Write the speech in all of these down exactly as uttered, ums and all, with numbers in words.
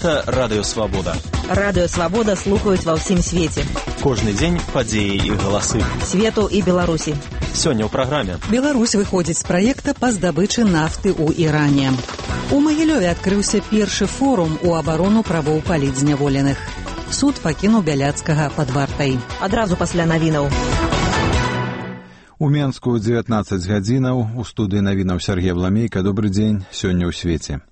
Гэта Радыё Свабода. Радыё Свабода слухаюць ва ўсім свеце. Кожны дзень падзеі і галасы. Свету і Беларусі. Сёння ў праграме. Беларусь выходзіць з праекта па здабычы нафты ў Іране. У Магілёве адкрыўся першы форум у абарону правоў палітзняволеных. Суд пакінуў Бяляцкага пад вартай. Адразу пасля навінаў. У Менску дзевятнаццаць гадзінаў. У студыі навінаў Сергей Вламейка. Добры дзень. Сёння ў свеце.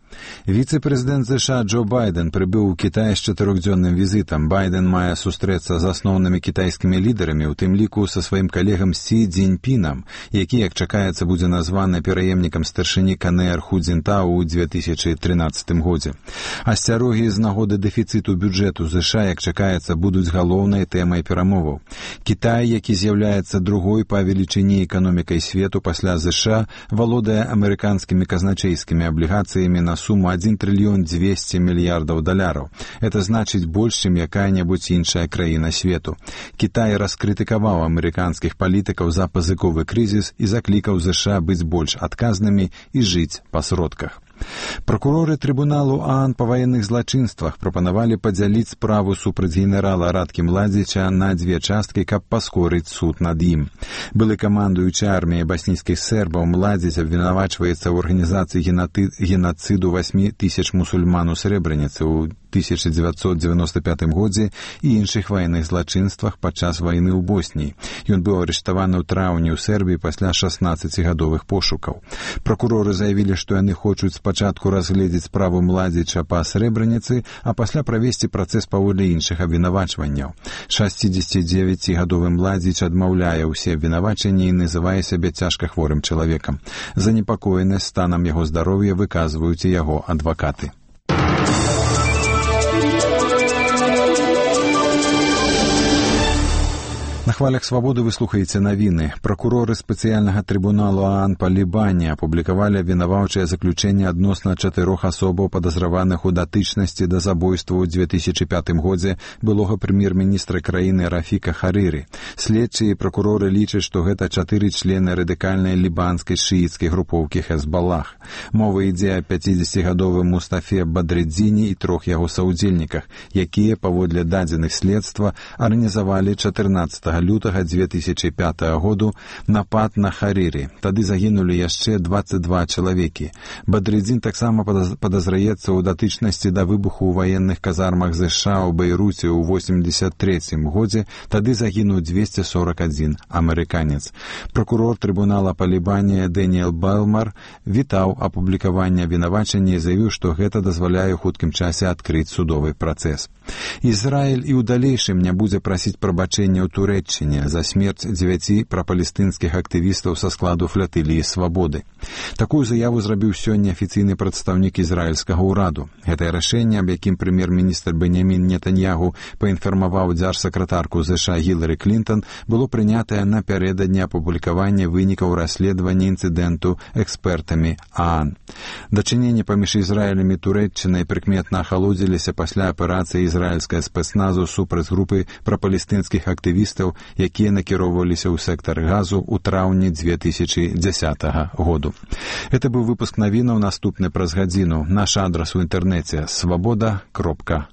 Віцэ-прэзідэнт ЗША Джо Байден прыбыў у Кітай з чатырохдзённым візітам. Байден мае сустрэцца з асноўнымі кітайскімі лідарамі, у тым ліку са сваім калегам Сі Цзіньпінам, які, як чакаецца, будзе названы пераемнікам старшыні КНР Ху Цзінтао ў дзве тысячы трынаццатым годзе. Асцярогі з нагоды дэфіцыту бюджэту ЗША, як чакаецца, будуць галоўнай тэмай перамоваў. Кітай, які з'яўляецца другой па велічыні эканомікай свету пасля ЗША, валодае амерыканскімі казначейскімі аблігацыямі на суму адзін трыльён дзвесце мільярдаў даляраў. Это значыць больш, чым якая-небудзь іншая краіна свету. Кітай раскрытыкаваў амерыканскіх палітыкаў за пазыковы крызіс і заклікаў ЗША быць больш адказнымі і жыць па сродках. Прокуроры трыбуналу ААН па ваенных злачынствах прапанавалі падзяліць справу супраць генерала Радкі Младзіча на дзве часткі, каб паскорыць суд над ім. Былы камандуючы арміяй баснійскіх сербаў Младзіч абвінавачваецца ў арганізацыі генацыду васьмі тысяч мусульман у Срэбраніцы ў тысяча дзевяцьсот дзевяноста пятым годзе і іншых ваенных злачынствах падчас вайны ў Босніі. Ён быў арыштаваны ў траўні ў Сербіі пасля шаснаццацігадовых пошукаў. Прокуроры заявілі, што яны хочуць спачатку разгледзець справу Младзіча па Срэбраніцы, а пасля правесці працэс паводле іншых абвінавачванняў. шасцідзесяцідзевяцігадовы Младзіч адмаўляе ўсе абвінавачанні і называе сябе цяжкахворым чалавекам. Занепакоенасць станам яго здароўя выказваюць і яго адвакаты. На хвалях свабоды вы слухаеце навіны. Прокуроры спецыяльнага трыбуналу ААН па Лібане апублікавалі абвінаваўчае заключэнне адносна чатырох асобаў, падазраваных у датычнасці да забойства ў дзве тысячы пятым годзе былога прэм'ер-міністра краіны Рафіка Харыры. Следчыя і прокуроры лічаць, што гэта чатыры члены радыкальнай лібанскай шыіцкай групоўкі Хезбаллах. Мова ідзе о пяцідзесяцігадовым Мустафе Бадрыдзіне і трох яго саўдзельніках, якія, паводле дадзеных следства, арганізавалі чатырнаццатага лютага дзве тысячы пятага году напад на Харыры. Тады загінулі яшчэ дваццаць два чалавекі. Бадрыдзін таксама падазраецца ў датычнасці да выбуху ў ваенных казармах ЗША ў Бейруце ў восемьдесят трэцім годзе. Тады загінуў двесце сорок адзін амерыканец. Прокурор трыбунала па Лібане Дэніэл Белмар вітаў апублікаванне абвінавачання і заявіў, што гэта дазваляе ў хуткім часе адкрыць судовы працэс. Ізраіль і ў далейшым не будзе прасіць прабачэння ў Турэччыне за смерць дзевяці прапалестынскіх актывістаў са складу флатыліі свабоды. Такую заяву зрабіў сёння афіцыйны прадстаўнік ізраільскага ўраду. Гэтае рашэнне, аб якім прэм'ер-міністр Беньямін Нетаньягу паінфармаваў дзяржсакратарку ЗША Гілары Клінтон, было прынятае напярэдадні апублікавання вынікаў расследавання інцыдэнту экспертамі ААН. Дачыненні паміж Ізраілем і Турэччынай прыкметна ахалодзіліся пасля аперацыі ізраільскага спецназу супраць групы прапалестынскіх актывістаў, якія накіроўваліся ў сектар Газу ў траўні дзве тысячы дзесятага году. Гэта быў выпуск навінаў, наступны праз гадзіну. Наш адрас у інтэрнэце свабода кропка